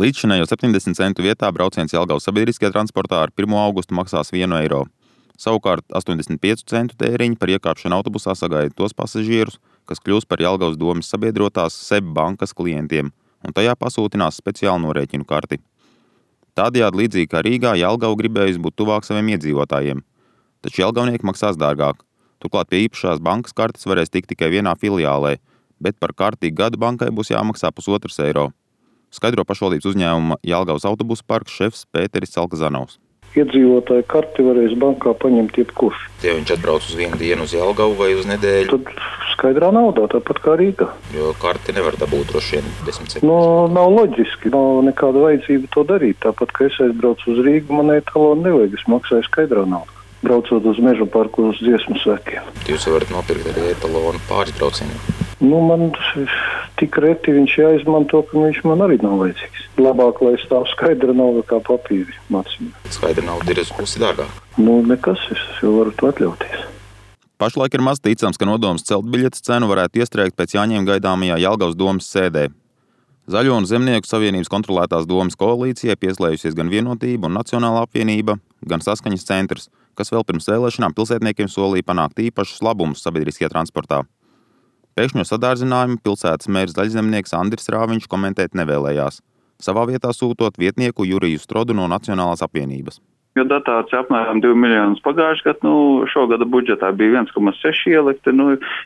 Līdzšinējo 70 centu vietā brauciens Jelgavas sabiedriskajā transportā ar 1. augustu maksās 1 eiro. Savukārt 85 centu tēriņi par iekāpšanu autobusā sagaida tos pasažierus, kas kļūs par Jelgavas domes sabiedrotās SEB bankas klientiem un tajā pasūtinās speciālu norēķinu karti. Tādējādi līdzīgi kā Rīgā, Jelgava gribējusi būt tuvāk saviem iedzīvotājiem. Taču jelgavnieki maksās dārgāk. Turklāt pie īpašās bankas kartes varēs tikt tikai vienā filiālē, bet par karti gadu bankai būs jāmaksā 1,5 eiro. Skaidro pašvaldības uzņēmuma Jelgavas autobusu parka šefs Pēteris Celkazanovs. Iedzīvotāju karti varēs bankā paņemt jebkurš. Ja viņš atbrauc uz vienu dienu uz Jelgavu vai uz nedēļu? Tad skaidrā naudā, tāpat kā Rīgā. Jo karti nevar dabūt droši vien 10 centus. Nav loģiski, nav nekāda vajadzība to darīt. Tāpat, ka es aizbraucu uz Rīgu, man etalonu nevajag, es maksāju skaidrā naudā. Braucot uz Meža parku uz dziesmu svētkiem. Jūs varat nopirkt arī etalonu pāris braucieniem. Man tik reti viņš jāizmanto, ka viņš man arī nav vajadzīgs. Labāk, lai stāv skaidra nauda kā papīri maciņā. Skaidra nauda ir uz pusi dārgāk. Nekas, es jau varu to atļauties. Pašlaik ir maz ticams, ka nodoms celt biļetes cenu varētu iestrēgt pēc Jāņiem gaidāmajā Jelgavas domes sēdē. Zaļo un Zemnieku savienības kontrolētās domes koalīcijai pieslējusies gan Vienotība un Nacionālā apvienība, gan Saskaņas centrs, kas vēl pirms vēlēšanām pilsētniekiem solīja panākt īpašus labumus sabiedriskajā transportā. Pēkšņo sadārdzinājumu pilsētas mērs Zaļzemnieks Andris Rāviņš komentēt nevēlējās, savā vietā sūtot vietnieku Juriju Strodu no Nacionālās apvienības. Jo dotācija apmēram 2 miljonus pagājušajā gadā, šogada budžetā bija 1,6 ielikti,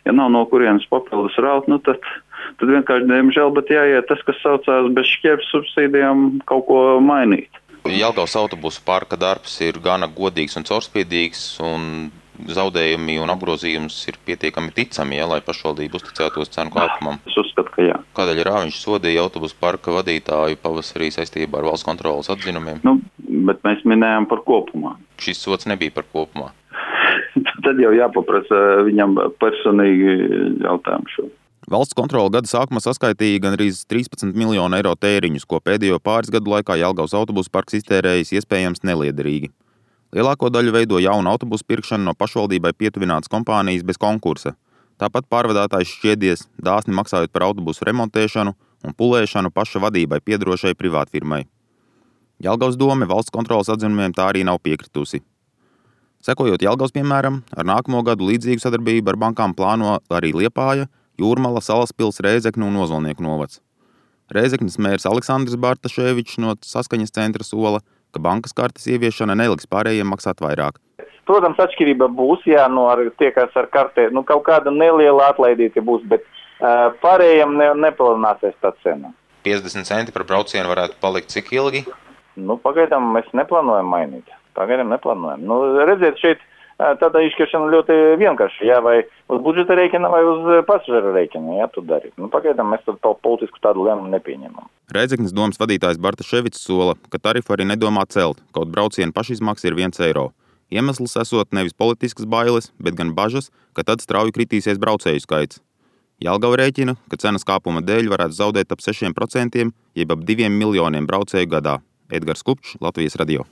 ja nav no kurienes papildus raut, tad vienkārši, diemžēl, bet jāiet tas, kas saucās bez šķiepes subsīdijām, kaut ko mainīt. Jelgavas autobusu parka darbs ir gana godīgs un caurspīdīgs, un zaudējumi un apgrozījums ir pietiekami ticami, lai pašvaldība uzticētos cenu kāpumam. Es uzskatu, ka jā. Kādēļ Rāviņš sodīja autobusu parka vadītāju pavasarī saistībā ar valsts kontroles atzinumiem? Bet mēs minējām par kopumā. Šis sods nebija par kopumā. Tad jau jāpaprasa viņam personīgi jautājumu šo. Valsts kontrole gada sākumā saskaitīja gandrīz 13 miljonu eiro tēriņus, ko pēdējo pāris gadu laikā Jelgavas autobusu parks iztērējis iespējams neliederīgi. Lielāko daļu veido jaunu autobusu pirkšanu no pašvaldībai pietuvinātas kompānijas bez konkursa. Tāpat pārvadātājs šķiedies, dāsni maksājot par autobusu remontēšanu un pulēšanu paša vadībai piederošai privātfirmai. Jelgavas dome valsts kontroles atzinumiem tā arī nav piekritusi. Sekojot Jelgavas piemēram, ar nākamo gadu līdzīgu sadarbību ar bankām plāno arī Liepāja, Jūrmala, Salaspils, Rēzekne un Ozolnieku novads. Rēzeknes mērs Aleksandrs Bartaševičs no Saskaņas centra sola, ka bankas kartes ieviešana neliks pārējiem maksāt vairāk. Protams, atšķirība būs, ar tie, kas ar kartē, kaut kāda neliela atlaidīte būs, bet pārējiem nepalielināsies tā cena. 50 centi par braucienu varētu palikt cik ilgi? Pagaidām mēs neplānojam mainīt. Redziet, šeit tāda izšķiršana ļoti vienkārši, vai uz budžeta rēķina vai uz pasažieru rēķina, tu dari. Pagaidām mēs politisku tādu lēmumu nepieņemam. Rēzeknes domes vadītājs Bartaševičs sola, ka tarifu arī nedomā celt, kaut braucienu pašizmaksa ir 1 eiro. Iemesls esot nevis politiskas bailes, bet gan bažas, ka tad strauji kritīsies braucēju skaits. Jelgava rēķina, ka cenas kāpuma dēļ varētu zaudēt ap 6%, jeb ap 2 miljoniem braucēju gadā. Edgars Kupčs, Latvijas radio.